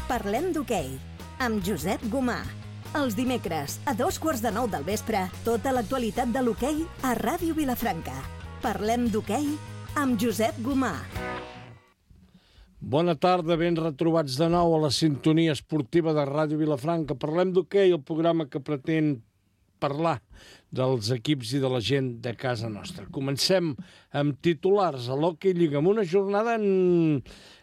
Parlem d'hoquei, amb Josep Gomà. Els dimecres, a 8:45 del vespre, tota l'actualitat de l'hoquei a Ràdio Vilafranca. Parlem d'hoquei amb Josep Gomà. Bona tarda, ben retrobats de nou a la sintonia esportiva de Ràdio Vilafranca. Parlem d'hoquei, el programa que pretén parlar dels equips i de la gent de casa nostra. Comencem amb titulars a l'Hockey Lliga, amb una jornada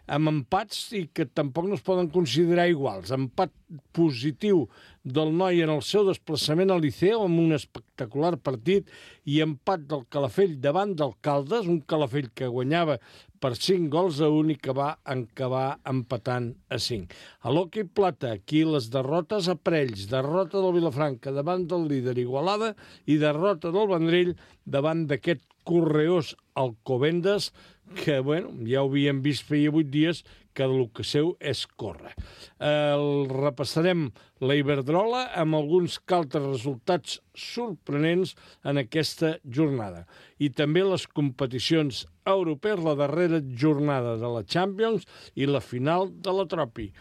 amb empats i que tampoc no es poden considerar iguals. Empat positiu del Noi en el seu desplaçament al Liceo amb un espectacular partit i empat del Calafell davant del Caldes, un Calafell que guanyava per 5-1 i que va acabar empatant a 5. A l'Hockey Plata, aquí les derrotes a Parells, derrota del Vilafranca davant del líder Igualada i derrota del Vendrell davant d'aquest correós Alcobendas, que, bueno, ja ho havíem vist feia 8 dies, que el que seu és córrer. Repassarem la Iberdrola amb alguns altres resultats sorprenents en aquesta jornada. I també les competicions europees, la darrera jornada de la Champions i la final de la Tropi.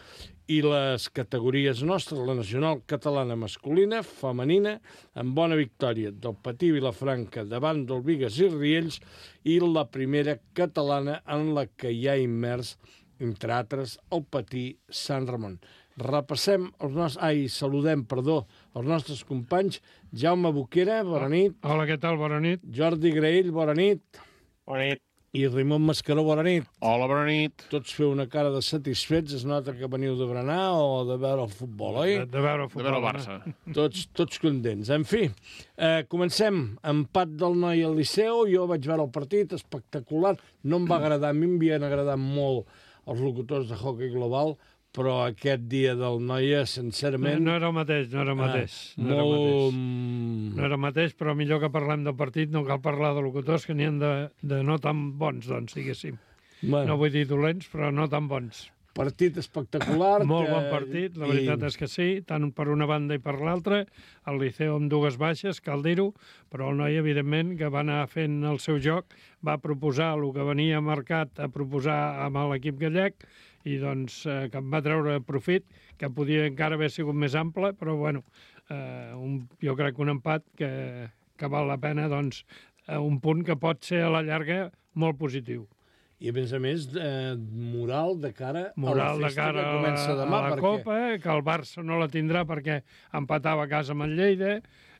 I les categories nostres, la nacional catalana masculina, femenina, amb bona victòria del Patí Vilafranca davant del Bigues i Riells, i la primera catalana en la que hi ha immers, entre altres, el Patí Sant Ramon. Repassem saludem els nostres companys. Jaume Boquera, bona nit. Hola, què tal? Bona nit. Jordi Graell, bona nit. Bona nit. I Raimon Mascaró, bona nit. Hola, bona nit. Tots feu una cara de satisfets, es nota que veniu de berenar o de veure el futbol, oi? De veure el futbol. De veure el Barça. Tots contents. En fi, comencem. Empat del Noi al Liceu, jo vaig veure el partit, espectacular. No em va agradar, a mi m'havien agradat molt els locutors de Hockey Global, però aquest dia del Noia, sincerament... No era el mateix. No era el mateix, però millor que parlem del partit, no cal parlar de locutors que n'hi ha de no tan bons, doncs, diguéssim. Bueno. No vull dir dolents, però no tan bons. Partit espectacular. Molt bon partit, la veritat és que sí, tant per una banda i per l'altra. El Liceu amb dues baixes, cal dir-ho, però el Noi, evidentment, que va anar fent el seu joc, va proposar el que venia marcat a proposar amb l'equip gallec, i doncs que en va treure profit, que podia encara haver sigut més ample, però bueno, jo crec que un empat que val la pena, doncs, un punt que pot ser a la llarga molt positiu. I, a més, moral de cara a la festa que comença demà. A la Copa, que el Barça no la tindrà perquè empatava a casa amb el Lleida,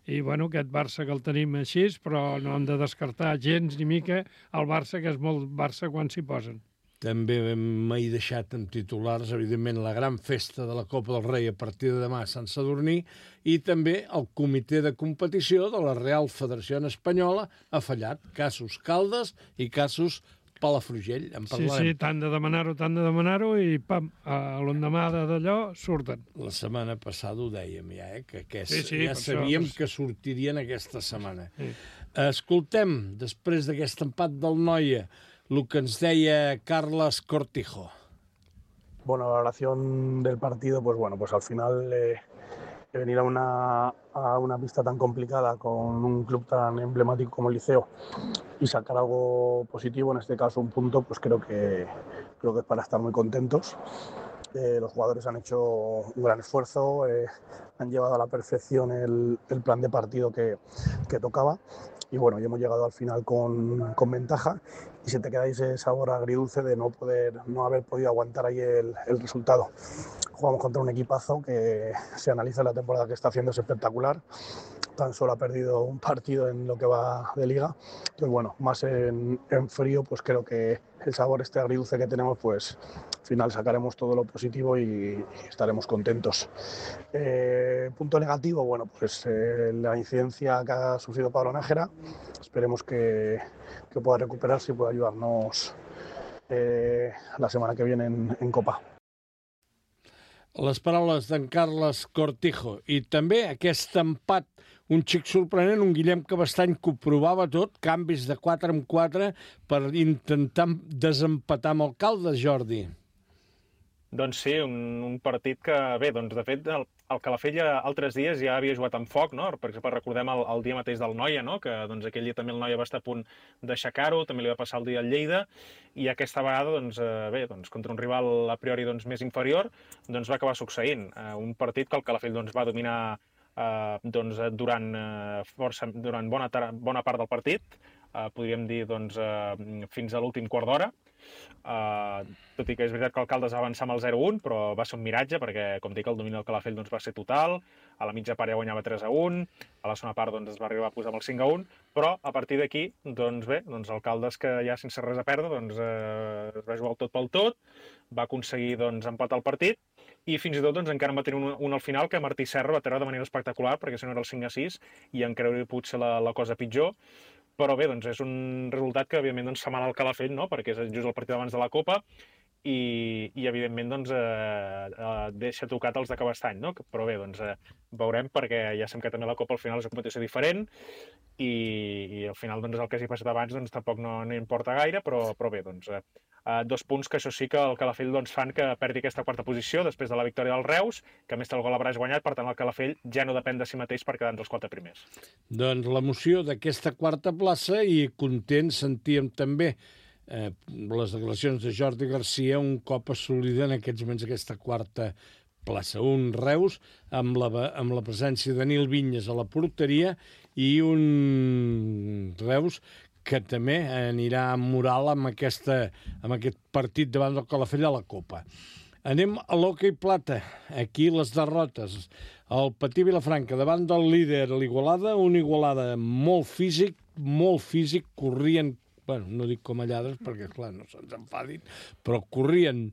i bueno, aquest Barça que el tenim així, però no hem de descartar gens ni mica el Barça, que és molt Barça quan s'hi posen. També m'he deixat amb titulars, evidentment, la gran festa de la Copa del Rei a partir de demà a Sant Sadurní, i també el comitè de competició de la Real Federació Espanyola ha fallat. Casos Caldes i casos Palafrugell. En parlarem. Sí, tant de demanar-ho, i pam, l'endemà d'allò surten. La setmana passada ho dèiem ja, que sí, ja sabíem que sortirien aquesta setmana. Sí. Escoltem, després d'aquest empat del Noia, el que ens deia Carles Cortijo. Bueno, la valoración del partido, pues al final venir a una pista tan complicada con un club tan emblemático como el Liceo y sacar algo positivo, en este caso un punto, pues creo que es para estar muy contentos. Los jugadores han hecho un gran esfuerzo, han llevado a la perfección el plan de partido que tocaba. Y bueno, ya hemos llegado al final con ventaja, y se te queda ese sabor agridulce de no haber podido aguantar ahí el resultado. Jugamos contra un equipazo que, se analiza la temporada que está haciendo, es espectacular. Tan solo ha perdido un partido en lo que va de liga. Entonces bueno, más en frío, pues creo que el sabor agridulce que tenemos, pues al final sacaremos todo lo positivo y estaremos contentos. Punto negativo, bueno, pues la incidencia que ha sufrido Pablo Nájera. Esperemos que pueda recuperarse y pueda ayudarnos la semana que viene en Copa. Les paraules d'en Carles Cortijo. I també aquest empat, un xic sorprenent, un Guillem Cabestany que ho provava tot, canvis de 4 en 4 per intentar desempatar amb el Caldes, Jordi. Doncs sí, un partit que, bé, doncs de fet el Calafell altres dies ja havia jugat amb foc, no? Per exemple, recordem el dia mateix del Noia, no? Que doncs aquell dia també el Noia va estar a punt d'aixecar-ho, també li va passar el dia al Lleida, i aquesta vegada, doncs, bé, doncs, contra un rival a priori doncs, més inferior, doncs va acabar succeint. Un partit que el Calafell doncs, va dominar doncs, durant bona part del partit, podríem dir doncs, fins a l'últim quart d'hora. Tot i que és veritat que l'Alcaldes va avançar amb el 0-1, però va ser un miratge perquè, com dic, el domini del Calafell doncs, va ser total. A la mitja part ja guanyava 3-1, a la segona part doncs, es va arribar a posar amb el 5-1, però a partir d'aquí, doncs bé, doncs Alcaldes, que ja sense res a perdre, doncs, es va jugar el tot pel tot, va aconseguir doncs, empatar el partit, i fins i tot doncs, encara en va tenir un al final que Martí Serra va treure de manera espectacular, perquè si no era el 5-6, i encara hauria pogut ser la cosa pitjor. Però bé, doncs és un resultat que, evidentment, doncs, fa mal al Calafell, no? Perquè és just el partit abans de la Copa i evidentment, doncs, deixa tocat els de Cabestany, no? Però bé, doncs, veurem, perquè ja sabem que també la Copa al final és una competició diferent i al final, doncs, el que hagi passat abans doncs, tampoc no importa gaire, però bé, doncs, 2 punts que això sí que el Calafell doncs, fan que perdi aquesta quarta posició després de la victòria del Reus, que a més té el gol a braç guanyat, per tant el Calafell ja no depèn de si mateix per quedar entre els 4 primers. Doncs l'emoció d'aquesta quarta plaça i content sentíem també les declaracions de Jordi Garcia un cop assolida en aquests moments aquesta quarta plaça. Un Reus amb la presència de Nil Vinyes a la porteria i un Reus que també anirà amb moral amb aquest partit davant del Calafell a la Copa. Anem a l'hoquei plata. Aquí les derrotes. El Patí Vilafranca davant del líder, l'Igualada, un Igualada molt físic, corrien, bueno, no dic com a lladres perquè, clar, no se'ns enfadin, però corrien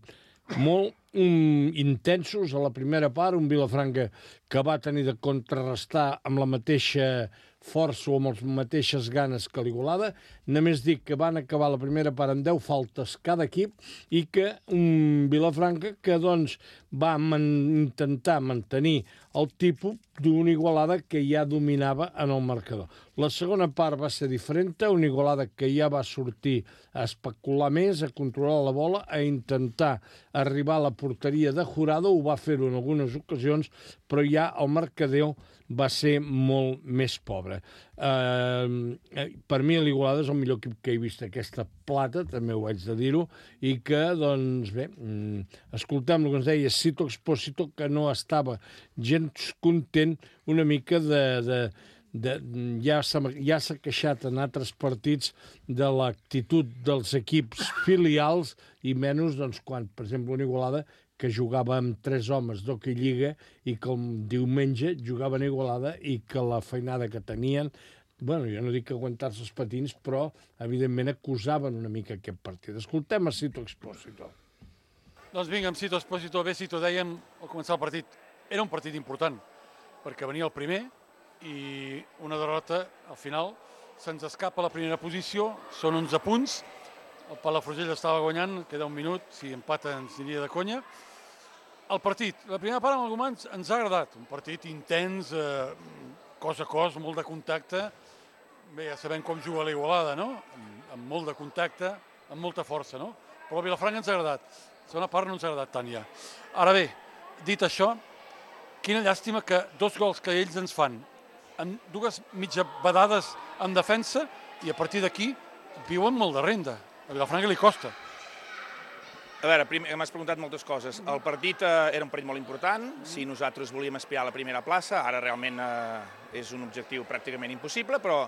molt intensos a la primera part, un Vilafranca que va tenir de contrarrestar amb la mateixa força o amb les mateixes ganes que l'Igualada. Només dic que van acabar la primera part amb 10 faltes cada equip i que un Vilafranca que doncs va intentar mantenir el tipus d'una Igualada que ja dominava en el marcador. La segona part va ser diferent, una Igualada que ja va sortir a especular més, a controlar la bola, a intentar arribar a la porteria de Jurado, ho va fer-ho en algunes ocasions, però ja el marcador va ser molt més pobre. Per mi l'Igualada és el millor equip que he vist aquesta plata, també ho haig de dir-ho, i que, doncs bé, escoltem el que ens deia Cito Expósito, que no estava gens content una mica ja s'ha queixat en altres partits de l'actitud dels equips filials i menys doncs, quan, per exemple, una Igualada que jugava amb 3 homes d'hoquei lliga i que el diumenge jugaven a Igualada i que la feinada que tenien, bueno, jo no dic que aguantar-se els patins, però evidentment acusaven una mica aquest partit. Escoltem a Cito Expósito. Doncs vinga, amb Cito Expósito, bé, Cito, dèiem al començar el partit, era un partit important, perquè venia el primer i una derrota, al final, se'ns escapa la primera posició, són 11 punts, el Palafrugell estava guanyant, queda un minut, si empata ens aniria de conya. El partit, la primera part amb el Gomà ens ha agradat, un partit intens, cos a cos, molt de contacte, bé, ja sabem com juga l'Igualada, no? Amb molt de contacte, amb molta força, no? Però el Vilafranca ens ha agradat, la segona part no ens ha agradat tant ja. Ara bé, dit això, quina llàstima que 2 gols que ells ens fan, en 2 mitja badades en defensa, i a partir d'aquí viuen molt de renda. A Vilafranca li costa. A veure, m'has preguntat moltes coses. El partit era un partit molt important. Si nosaltres volíem aspirar a la primera plaça, ara realment és un objectiu pràcticament impossible, però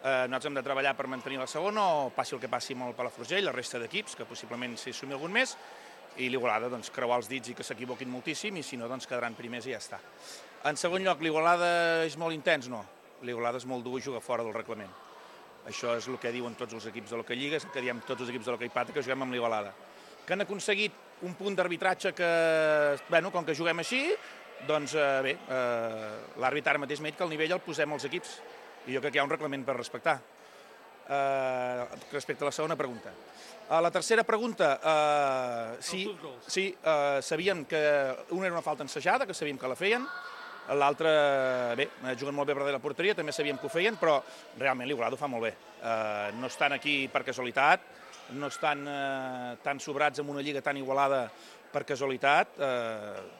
nosaltres hem de treballar per mantenir la segona, o passi el que passi amb el Palafrugell, la resta d'equips, que possiblement s'hi sumi algun més, i l'Igualada, doncs, creuar els dits i que s'equivoquin moltíssim, i si no, doncs, quedaran primers i ja està. En segon lloc, l'Igualada és molt intens? No. L'Igualada és molt dur i juga fora del reglament. Això és el que diuen tots els equips de l'hoquei lliga, és el que diem tots els equips de l'hoquei plata, que juguem amb l'Igualada. Que han aconseguit un punt d'arbitratge que, bueno, com que juguem així, doncs bé, l'àrbit ara mateix m'ha dit que el nivell el posem als equips, i jo crec que hi ha un reglament per respectar. Respecte a la segona pregunta. La tercera pregunta, sí, sabíem que una era una falta ensajada, que sabíem que la feien, l'altra, bé, juguen molt bé per darrere la porteria, també sabíem que ho feien, però realment l'Igualada ho fa molt bé. No estan aquí per casualitat, no estan tan sobrats en una lliga tan igualada per casualitat,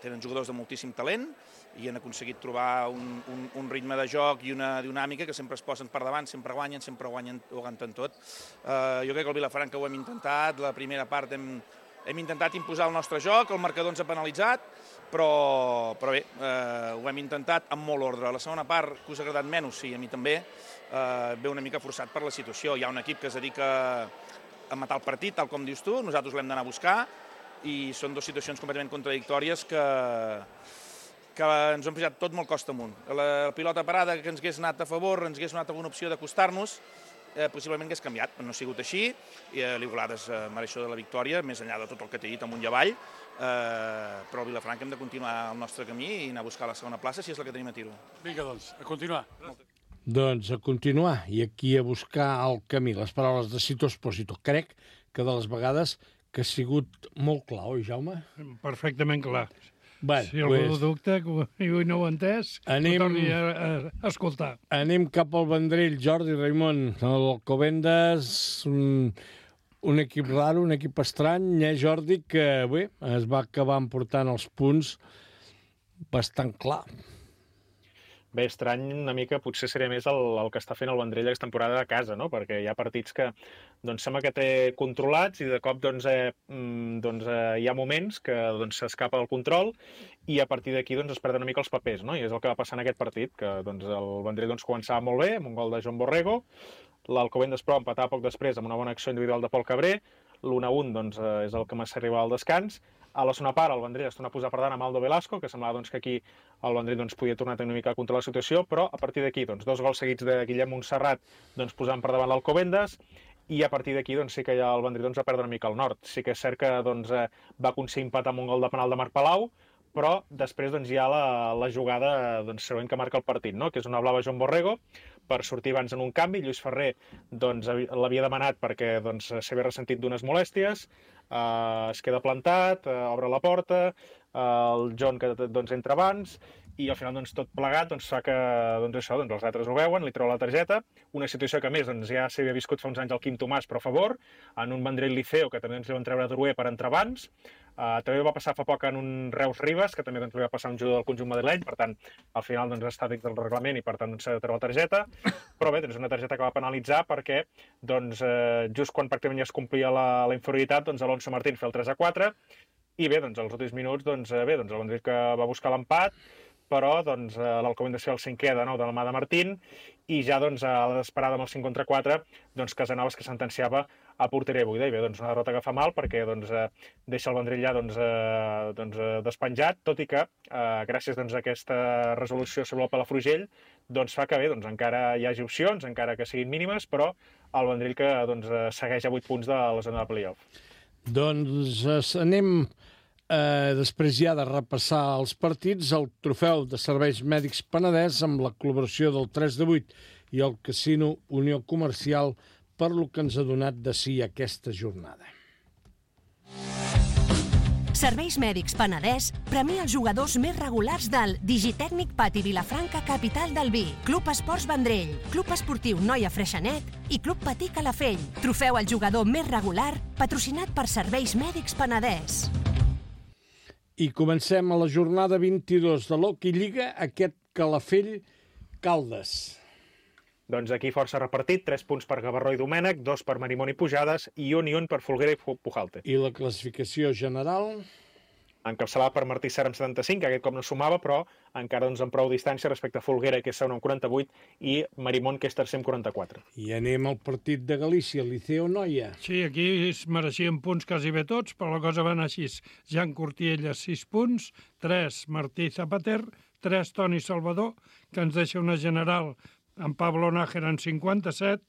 tenen jugadors de moltíssim talent i han aconseguit trobar un ritme de joc i una dinàmica que sempre es posen per davant, sempre guanyen o aguanten tot. Jo crec que el Vilafranca ho hem intentat, la primera part hem intentat imposar el nostre joc, el marcador ens ha penalitzat, però bé, ho hem intentat amb molt ordre. La segona part, que us ha agradat menys, sí, a mi també, ve una mica forçat per la situació. Hi ha un equip que es dedica a matar el partit, tal com dius tu, nosaltres l'hem d'anar a buscar, i són dues situacions completament contradictòries que ens han posat tot molt costa amunt. La pilota parada que ens hagués anat a favor, ens hagués donat alguna opció d'acostar-nos, possiblement hagués canviat, però no ha sigut així, i l'Igualada és mereixedor de la victòria, més enllà de tot el que t'he dit amunt i avall, però el Vilafranca hem de continuar el nostre camí i anar a buscar la segona plaça, si és la que tenim a tiro. Vinga, doncs, a continuar. Doncs a continuar, i aquí a buscar el camí. Les paraules de Sito Espósito. Crec que de les vegades que ha sigut molt clar, oi, Jaume? Perfectament clar. Bueno, si algú dubta i no ho ha entès, ho torni a escoltar. Anem cap al Vendrell, Jordi, Raimon. L'Alcobendas, un equip raro, un equip estrany, Jordi, que bé, es va acabar emportant els punts bastant clar. Bé, estrany una mica, potser seria més el que està fent el Vendrell aquesta temporada a casa, no? Perquè hi ha partits que sembla que té controlats i de cop hi ha moments que s'escapa del control i a partir d'aquí es perden una mica els papers, no? I és el que va passar en aquest partit, que el Vendrell començava molt bé, amb un gol de Joan Borrego, l'Alcobendas però empatava poc després amb una bona acció individual de Pol Cabré, l'1-1 és el que m'ha arribat al descans. A la segona part, el Vendrell es torna a posar per davant amb Aldo Velasco, que semblava que aquí el Vendrell podia tornar a tenir una mica a controlar la situació, però a partir d'aquí, 2 gols seguits de Guillem Montserrat posant per davant l'Alcobendas, i a partir d'aquí sí que ja el Vendrell va perdre una mica el nord. Sí que és cert que va aconseguir empatar amb un gol de penal de Marc Palau, però després hi ha la jugada següent que marca el partit, no? Que és una blava Joan Borrego, per sortir abans en un canvi. Lluís Ferrer l'havia demanat perquè s'havia ressentit d'unes molèsties, es queda plantat, obre la porta, el John que entra abans, i al final tot plegat fa que els altres ho veuen, li treu la targeta, una situació que a més ja s'havia viscut fa uns anys al Quim Tomàs, però a favor, en un Vendrell Liceo que també li van treure Drouet per entrar abans, també va passar fa poc en un Reus Ribes, que també li va passar un jugador del conjunt madrileny, per tant, al final està dins del reglament i per tant s'ha de treure la targeta, però bé, una targeta que va penalitzar perquè just quan pràcticament ja es complia la inferioritat, Alonso Martín fa el 3-4, i bé, als últims minuts, el Vendrell que va buscar l'empat, però l'Alcobendas fa el 5è de nou de la mà de Martín, i ja a la desesperada amb el 5 contra 4, Casanovas que sentenciava a porteria buida, i bé, una derrota que fa mal perquè deixa el Vendrell ja despenjat, tot i que gràcies a aquesta resolució sobre el Palafrugell fa que bé, encara hi hagi opcions, encara que siguin mínimes, però el Vendrell que segueix a 8 punts de la zona de play-off. Anem després ja de repassar els partits, el trofeu de serveis mèdics Penedès amb la col·laboració del 3-8 i el Casino Unió Comercial per lo que ens ha donat de si aquesta jornada. Serveis Mèdics Penedès premia els jugadors més regulars del Digitècnic Pati Vilafranca, capital del vi, Club Esports Vendrell, Club Esportiu Noia Freixenet i Club Patí Calafell. Trofeu al jugador més regular, patrocinat per Serveis Mèdics Penedès. I comencem a la jornada 22 de l'Hockey Lliga, aquest Calafell-Caldes. Aquí força repartit, 3 punts per Gavarró i Domènec, 2 per Marimón i Pujades i un per Folguera i Pujalte. I la classificació general? Encapçalada per Martí Serra amb 75, que aquest cop no sumava, però encara amb prou distància respecte a Folguera, que és segon amb 48, i Marimón, que és tercer amb 44. I anem al partit de Galícia, Liceo Noia. Sí, aquí es mereixien punts quasi bé tots, però la cosa va anar així. Jan Cortiella, 6 punts, 3 Martí Zapater, 3 Toni Salvador, que ens deixa una general amb Pablo Nájera en 57,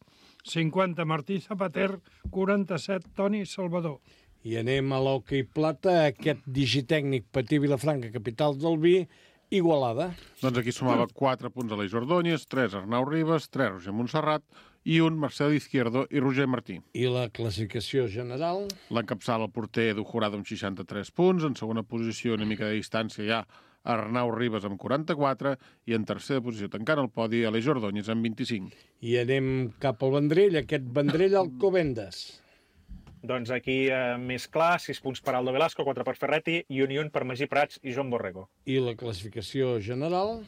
50 Martí Zapater, 47 Toni Salvador. I anem a l'Hockey Plata, aquest Digitècnic Patí Vilafranca, capital del vi, Igualada. Aquí sumava 4 punts a l'Eix Ordóñez, 3 Arnau Ribas, 3 Roger Montserrat i 1 Marcel Izquierdo i Roger Martí. I la classificació general? L'encapçala el porter Edu Jurado amb 63 punts, en segona posició una mica de distància ja Arnau Ribas amb 44 i en tercera posició tancant el podi Aleix Ordóñez amb 25. I anem cap al Vendrell, aquest Vendrell Alcobendas. Doncs aquí més clar, 6 punts per Aldo Velasco, 4 per Ferretti, i un per Magí Prats i Joan Borrego. I la classificació general?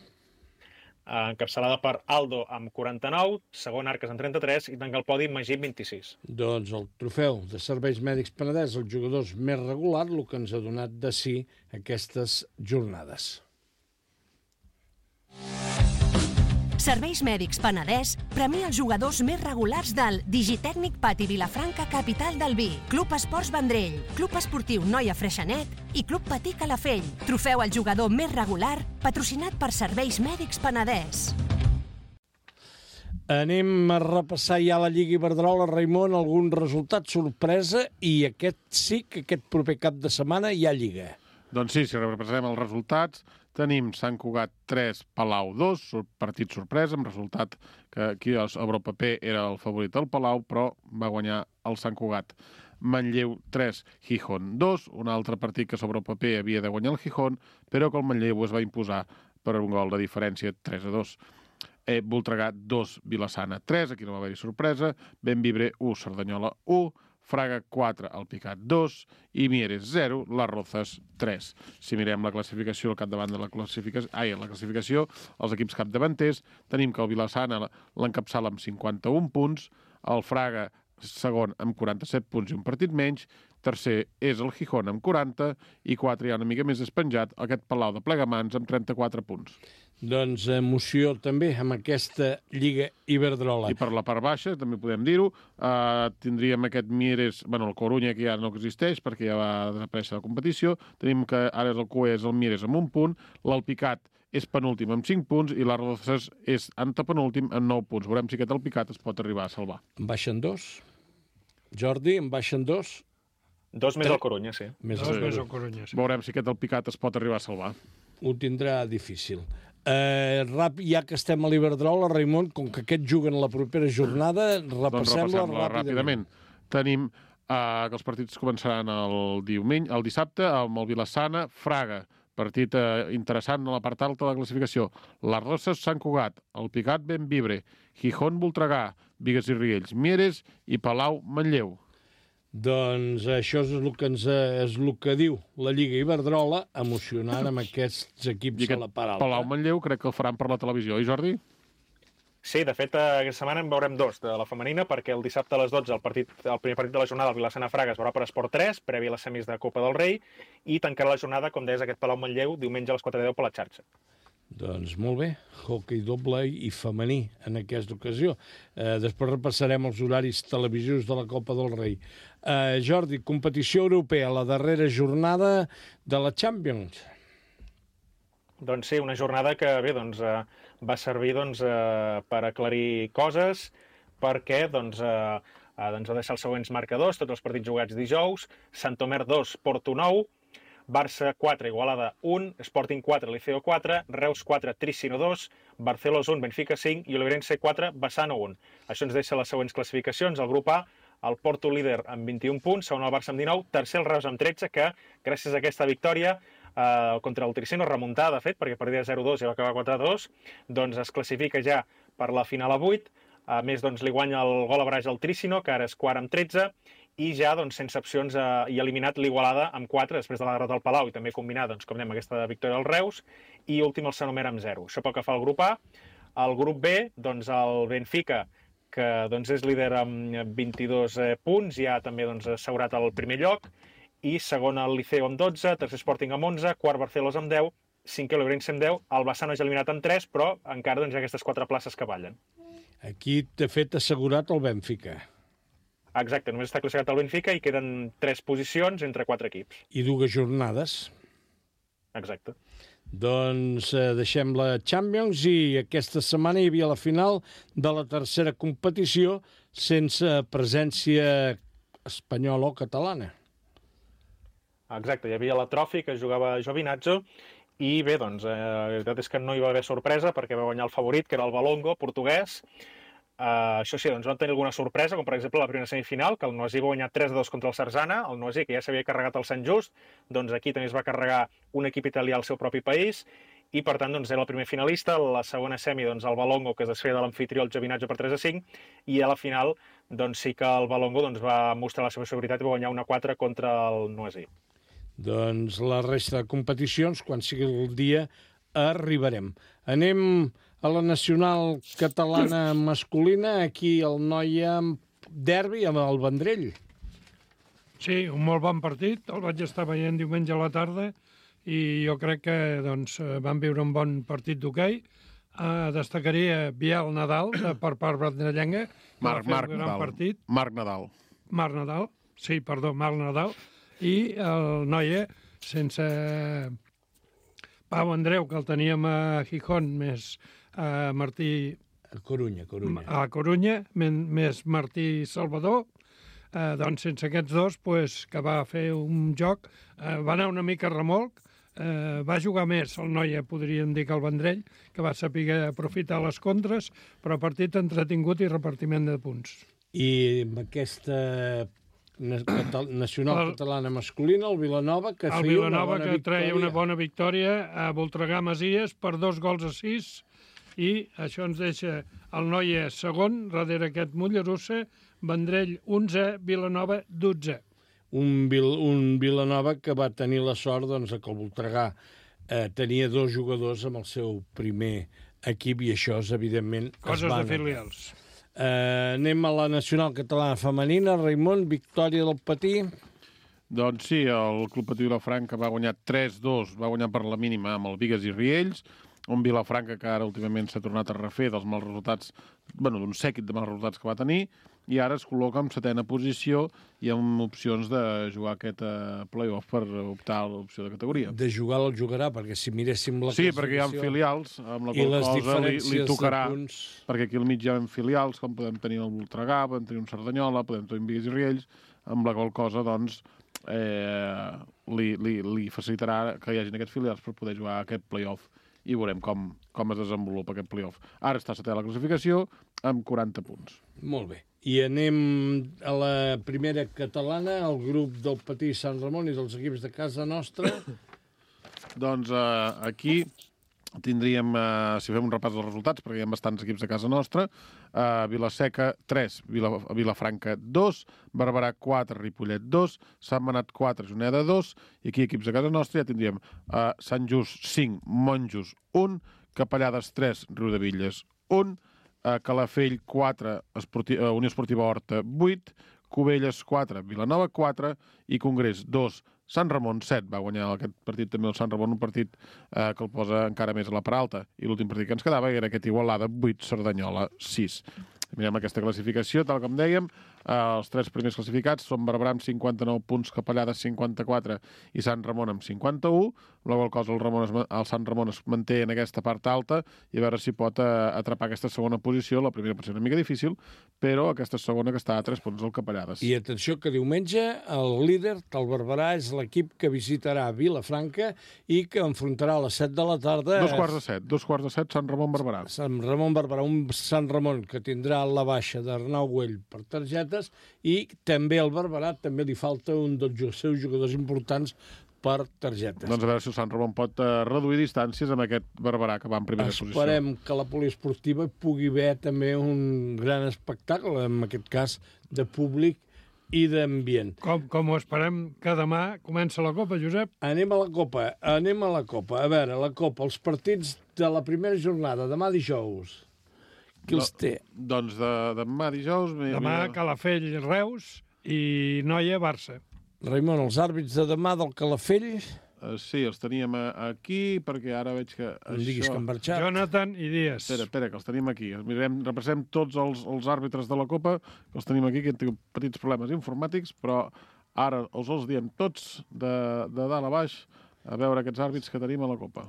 Encapçalada per Aldo amb 49, segon Arques amb 33 i tanca el podi Magí amb 26. Doncs el trofeu de Serveis Mèdics Penedès, els jugadors més regular, el que ens ha donat de sí aquestes jornades. Serveis Mèdics Penedès premia els jugadors més regulars del Digitècnic Pati Vilafranca, capital del vi, Club Esports Vendrell, Club Esportiu Noia Freixenet i Club Patí Calafell. Trofeu al jugador més regular, patrocinat per Serveis Mèdics Penedès. Anem a repassar ja la Lliga Iberdrola, Raimon, algun resultat sorpresa, i aquest proper cap de setmana hi ha Lliga. Doncs sí, si repassem els resultats, tenim Sant Cugat 3, Palau 2, partit sorpresa, amb resultat que aquí a Europaper era el favorit del Palau, però va guanyar el Sant Cugat. Manlleu 3, Gijón 2, un altre partit que sobre el paper havia de guanyar el Gijón, però que el Manlleu es va imposar per un gol de diferència 3-2. Voltregà 2, Vilassana 3, aquí no va haver-hi sorpresa, Bemvibre 1, Cerdanyola 1, Fraga 4, Alpicat 2 i Mieres 0, Las Rozas 3. Si mirem la classificació al capdavant de la classificació, els equips capdavanters, tenim que el Vilassana l'encapçala amb 51 punts, el Fraga segon amb 47 punts i un partit menys, tercer és el Gijón amb 40 i 4 hi ha una mica més despenjat, aquest Palau de Plegamans amb 34 punts. Doncs emoció també amb aquesta Lliga Iberdrola. I per la part baixa, també podem dir-ho, tindríem aquest Mieres, el Corunya, que ja no existeix perquè ja va desaparèixer la competició, tenim que ara el QE és el Mieres amb 1 punt, l'Alpicat és penúltim amb 5 punts i les Rozas és antepenúltim amb 9 punts. Veurem si aquest Alpicat es pot arribar a salvar. En baixen 2? Jordi, en baixen 2? 2 més el Corunya, sí. Més el Corunya, sí. Veurem si aquest Alpicat es pot arribar a salvar. Ho tindrà difícil. Ja que estem a l'Iberdrola, Raimon, com que aquests juguen la propera jornada, repassem-la ràpidament. Tenim que els partits començaran el dissabte amb el Vilassana, Fraga, partit interessant a la part alta de la classificació. Las Rozas, Sant Cugat, Alpicat, Bemvibre, Gijón, Voltregà, Bigues i Riells, Mieres i Palau, Manlleu. Doncs això és el que diu la Lliga Iberdrola, emocionant amb aquests equips a la part alta. Palau-Manlleu crec que el faran per la televisió, oi, Jordi? Sí, de fet, aquesta setmana en veurem 2 de la femenina, perquè el dissabte a les 12 el primer partit de la jornada, el Vilassana-Fraga, es veurà per Esport 3, previ a les semis de Copa del Rei, i tancarà la jornada, com deies, aquest Palau-Manlleu, diumenge a les 4:10 per la xarxa. Doncs molt bé, hoquei doble i femení en aquesta ocasió. Després repassarem els horaris televisius de la Copa del Rei. Jordi, competició europea, la darrera jornada de la Champions. Doncs sí, una jornada que bé, va servir per aclarir coses, perquè va deixar els següents marcadors, tots els partits jugats dijous, Santomer 2, Porto 9, Barça 4, Igualada 1, Sporting 4, Liceo 4, Reus 4, Tricino 2, Barcelos 1, Benfica 5 i Oliveirense 4, Bassano 1. Això ens deixa les següents classificacions. El grup A, el Porto líder amb 21 punts, segon el Barça amb 19, tercer el Reus amb 13, que gràcies a aquesta victòria contra el Tricino, remuntada, de fet, perquè perdia 0-2 i va acabar 4-2, doncs es classifica ja per la final a 8. A més, li guanya el gol a braç al Tricino, que ara és quart amb 13, i ja, sense opcions, i eliminat l'Igualada amb 4, després de la derrota del Palau, i també combinar, com dèiem, aquesta victòria del Reus, i últim el Sanomer amb 0. Això pel que fa al grup A. Al grup B, el Benfica, que és líder amb 22 punts, ja també assegurat el primer lloc, i segon el Liceo amb 12, tercer Sporting amb 11, quart Barcelos amb 10, cinquè l'Oliveirense amb 10, el Bassano ja eliminat amb 3, però encara hi ha aquestes 4 places que ballen. Aquí t'he fet assegurat el Benfica. Exacte, només està classificat el Benfica i queden 3 posicions entre 4 equips. I 2 jornades. Exacte. Doncs deixem la Champions i aquesta setmana hi havia la final de la tercera competició sense presència espanyola o catalana. Exacte, hi havia la Trofi, que jugava Giovinazzo, i bé, la veritat és que no hi va haver sorpresa perquè va guanyar el favorit, que era el Valongo, portuguès. Això sí, van tenir alguna sorpresa, com per exemple la primera semifinal, que el Noisy va guanyar 3-2 contra el Sarzana, el Noisy, que ja s'havia carregat el Sant Just, doncs aquí també es va carregar un equip italià al seu propi país, i per tant era el primer finalista. La segona semi, el Valongo, que es desfeia de l'amfitrió, el Giovinazzo, per 3-5, i a la final doncs sí que el Valongo va mostrar la seva seguretat i va guanyar 1-4 contra el Noisy. Doncs la resta de competicions, quan sigui el dia, arribarem. Anem a la nacional catalana masculina, aquí el Noia derbi amb el Vendrell. Sí, un molt bon partit, el vaig estar veient diumenge a la tarda i jo crec que van viure un bon partit d'hoquei. Destacaria Biel Nadal, per part vendrellenga, que va fer un gran partit. Marc Nadal. Marc Nadal. I el Noia, sense Pau Andreu, que el teníem a Gijón, més Martí... A Corunya. A Corunya, més Martí Salvador, doncs sense aquests dos, que va fer un joc, va anar una mica a remolc, va jugar més el Noia, podríem dir, que el Vendrell, que va saber aprofitar les contres, però partit entretingut i repartiment de punts. I amb aquesta nacional catalana masculina, el Vilanova, que feia una bona victòria. El Vilanova, que treia una bona victòria a Voltregà Masies per 2-6, i això ens deixa el Noia segon, darrere aquest Mollerussa, Vendrell 11, Vilanova 12. Un Vilanova que va tenir la sort que el Voltregà tenia 2 jugadors amb el seu primer equip i això és, evidentment... Coses de filials. Anem a la nacional catalana femenina. Raimon, victòria del Patí. Doncs sí, el Club Patí Vilafranca va guanyar 3-2, va guanyar per la mínima amb el Bigues i Riells, un Vilafranca que ara últimament s'ha tornat a refer dels mals resultats, d'un sèquit de mals resultats que va tenir, i ara es col·loca en 7ª posició i amb opcions de jugar aquest play-off per optar a l'opció de categoria. De jugar el jugarà, perquè si miréssim la classificació... Sí, perquè hi ha filials, amb la qual cosa li tocarà, perquè aquí al mig hi ha filials, com podem tenir el Voltregà, podem tenir un Cerdanyola, podem tenir un Bigues i Riells, amb la qual cosa, doncs, li facilitarà que hi hagin aquests filials per poder jugar aquest play-off i veurem com es desenvolupa aquest play-off. Ara està a 7ª la classificació amb 40 punts. Molt bé. I anem a la primera catalana, el grup del Patí Sant Ramon i dels equips de casa nostra. Doncs aquí tindríem, si fem un repàs dels resultats, perquè hi ha bastants equips de casa nostra, Vilaseca 3, Vilafranca 2, Barberà 4, Ripollet 2, Sant Manat 4, Juneda 2, i aquí equips de casa nostra ja tindríem Sant Just 5, Monjos 1, Capellades 3, Riudevilles 1, Calafell 4, Unió Esportiva Horta 8, Cubelles 4, Vilanova 4 i Congrés 2, Sant Ramon 7. Va guanyar aquest partit també el Sant Ramon, un partit que el posa encara més a la part alta. I l'últim partit que ens quedava era aquest Igualada 8, Cerdanyola 6. Mirem aquesta classificació, tal com dèiem, els 3 primers classificats són Barberà amb 59 punts, Capellades 54 i Sant Ramon amb 51, la qual cosa el Sant Ramon es manté en aquesta part alta i a veure si pot atrapar aquesta segona posició. La primera pot ser una mica difícil, però aquesta segona que està a 3 punts del Capellades. I atenció que diumenge el líder del Barberà és l'equip que visitarà Vilafranca i que enfrontarà a les 7 de la tarda... 2:15, Sant Ramon-Barberà. Sant Ramon-Barberà, un Sant Ramon que tindrà la baixa d'Arnau Güell per targetes i també al Barberà també li falta un dels seus jugadors importants per targetes. Doncs a veure si el Sant Ramon pot reduir distàncies amb aquest Barberà que va en primera posició. Esperem que la poliesportiva pugui haver també un gran espectacle, en aquest cas de públic i d'ambient. Com ho esperem que demà comença la Copa, Josep? Anem a la Copa. A veure, la Copa, els partits de la primera jornada, demà dijous. Qui els té? Doncs demà dijous... Demà Calafell, Reus i Noia, Barça. Raimon, els àrbits de demà del Calafell... Sí, els teníem aquí, perquè ara veig que... Em diguis que han marxat. Jonathan i Díaz. Espera, que els tenim aquí. Repassem tots els àrbitres de la Copa, que els tenim aquí, que han tingut petits problemes informàtics, però ara els diem tots de dalt a baix a veure aquests àrbits que tenim a la Copa.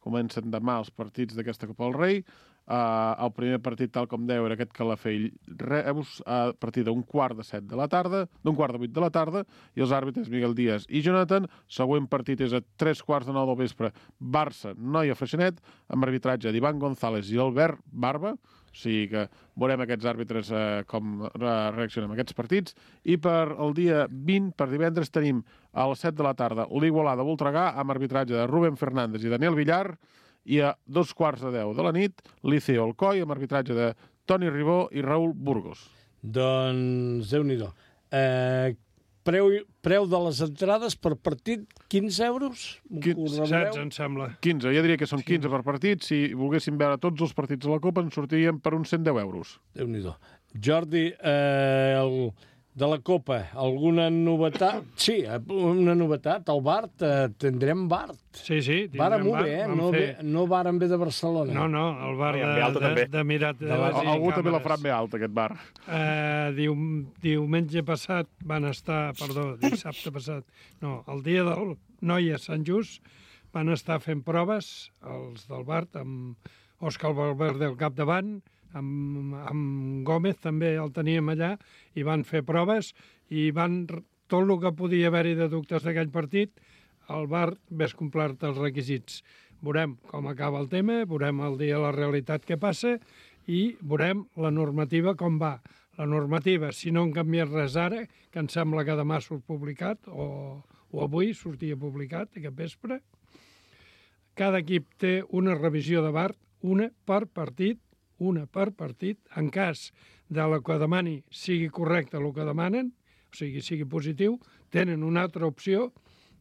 Comencen demà els partits d'aquesta Copa del Rei. El primer partit, tal com dèieu, era aquest Calafell-Reus a partir d'un 6:45 de la tarda, d'un 7:45 de la tarda, i els àrbitres Miguel Díaz i Jonathan. Següent partit és a 3:45 del vespre, Barça-Noia-Freixenet, amb arbitratge d'Ivan González i Albert Barba. O sigui que veurem aquests àrbitres com reaccionen a aquests partits. I per el dia 20, per divendres, tenim a les 7 de la tarda l'Igualada-Voltregà amb arbitratge de Rubén Fernández i Daniel Villar, i a 2:15 de la nit, Liceo Alcoi, amb arbitratge de Toni Ribó i Raúl Burgos. Doncs, Déu-n'hi-do. Preu de les entrades per partit, 15 euros? 16, em sembla. 15, ja diria que són 15 per partit. Si volguéssim veure tots els partits de la Copa, ens sortiríem per uns 110 euros. Déu-n'hi-do. Jordi, de la Copa, alguna novetat? Sí, una novetat. El Bart, tindrem Bart. Sí, vàrem bé, no vàrem bé de Barcelona. No, el Bart d'Emirat de les Algú també la farà bé alta, aquest bar. Diumenge passat van estar, dissabte passat, el dia del Noi a Sant Just, van estar fent proves, els del Bart, amb Òscar Valverde al capdavant, amb Gómez també el teníem allà, i van fer proves, i tot el que podia haver-hi de dubtes d'aquell partit, el Bart ves complert els requisits. Veurem com acaba el tema, veurem el dia la realitat que passa, i veurem la normativa com va. La normativa, si no han canviat res ara, que em sembla que demà surt publicat, o avui sortia publicat, aquest vespre, cada equip té una revisió de Bart, una per partit. En cas de la que demani sigui correcte el que demanen, o sigui positiu, tenen una altra opció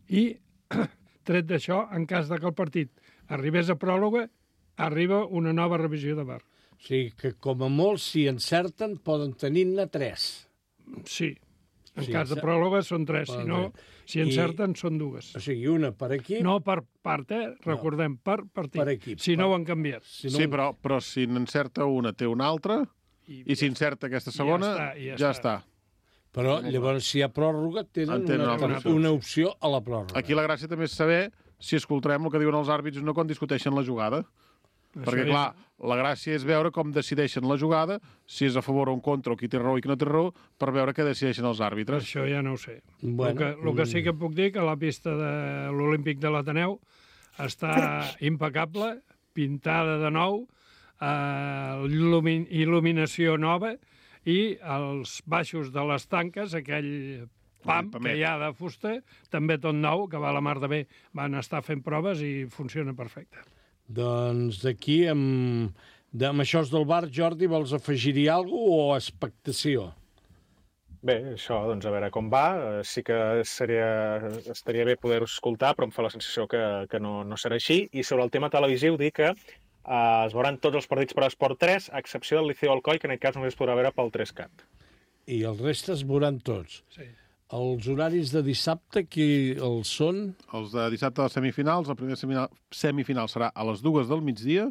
i, tret d'això, en cas que el partit arribés a pròrroga, arriba una nova revisió de VAR. O sigui que, com a molt, si encerten, poden tenir-ne 3. Sí. En cas de pròrroga són 3, si encerten són 2. O sigui, una per equip... No per part, recordem, per partit. Per equip. Si no ho han canviat. Sí, però si n'encerta una, té una altra, i si encerta aquesta segona, ja està. Però llavors, si hi ha pròrroga, tenen una opció a la pròrroga. Aquí la gràcia també és saber si escoltarem el que diuen els àrbits no quan discuteixen la jugada. Perquè, clar, la gràcia és veure com decideixen la jugada, si és a favor o en contra, o qui té raó i qui no té raó, per veure què decideixen els àrbitres. Això ja no ho sé. El que sí que puc dir que la pista de l'Olímpic de l'Ateneu està impecable, pintada de nou, il·luminació nova, i els baixos de les tanques, aquell pam que hi ha de fusta, també tot nou, que va a la mar de bé. Van estar fent proves i funciona perfecte. Doncs d'aquí, amb això del bar, Jordi, vols afegir-hi alguna cosa o expectació? Bé, això, doncs, a veure com va. Sí que estaria bé poder-ho escoltar, però em fa la sensació que no serà així. I sobre el tema televisiu, dir que es veuran tots els partits per Esport 3, a excepció del Liceo Alcoi, que en aquest cas només es podrà veure pel 3Cat. I els restes veuran tots? Sí. Els horaris de dissabte, qui els són? Els de dissabte de les semifinals, la primera semifinal serà a les 2 del migdia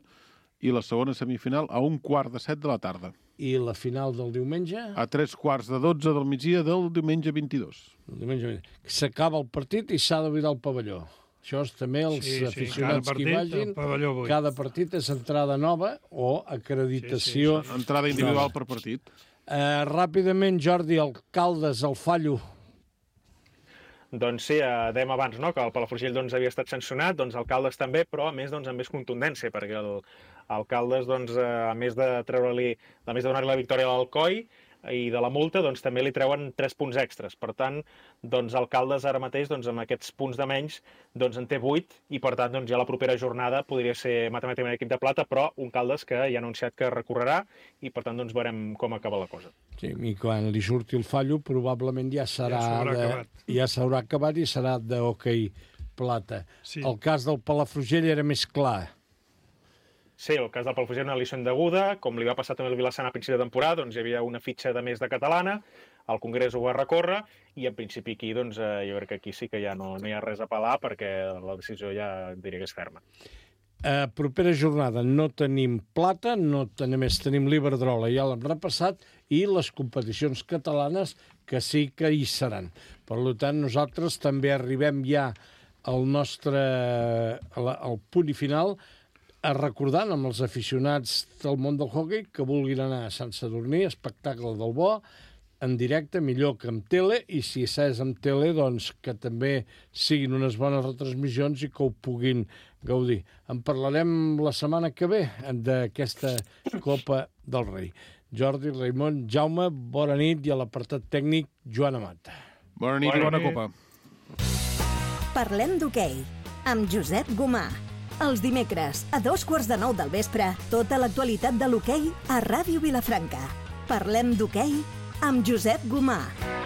i la segona semifinal a 1:15 de la tarda. I la final del diumenge? A 3:45 del migdia del diumenge 22. S'acaba el partit i s'ha de buidar el pavelló. Això és també els aficionats que hi vagin. Cada partit és entrada nova o acreditació. Entrada individual per partit. Ràpidament, Jordi, Alcaldes, el Fallo. Doncs sí, dèiem abans que el Palafrugell havia estat sancionat, Alcaldes també, però a més amb més contundència, perquè Alcaldes, a més de donar-li la victòria a l'Alcoi i de la multa, també li treuen 3 punts extres. Per tant, Alcaldes ara mateix, amb aquests punts de menys, en té 8, i per tant, ja la propera jornada podria ser matemàticament equip de plata, però un Caldes que ja ha anunciat que recorrerà, i per tant, veurem com acaba la cosa. Sí, i quan li surti el Fallo, probablement ja s'haurà acabat i serà d'hoquei plata. Sí. El cas del Palafrugell era més clar. Sí, el cas del Palafrugell era una liçó indeguda, com li va passar també al Vilassana a principi de temporada, hi havia una fitxa de més de catalana, el Congrés ho va recórrer, i en principi aquí, jo crec que aquí sí que ja no hi ha res a apel·lar, perquè la decisió ja diria que és ferma. Propera jornada no tenim plata, només tenim l'Iberdrola, ja l'hem repassat, i les competicions catalanes que sí que hi seran. Per tant, nosaltres també arribem ja al punt i final, recordant amb els aficionats del món del hoquei que vulguin anar a Sant Sadurní, espectacle del bo, en directe, millor que amb tele, i si és amb tele, que també siguin unes bones retransmissions i que ho puguin gaudir. En parlarem la setmana que ve d'aquesta Copa del Rei. Jordi, Raimon, Jaume, bona nit, i a l'apartat tècnic, Joan Amat. Bona nit i bona Copa. Parlem d'hoquei, amb Josep Gomà. Els dimecres, a 8:45 del vespre, tota l'actualitat de l'hoquei a Ràdio Vilafranca. Parlem d'hoquei amb Josep Gomà.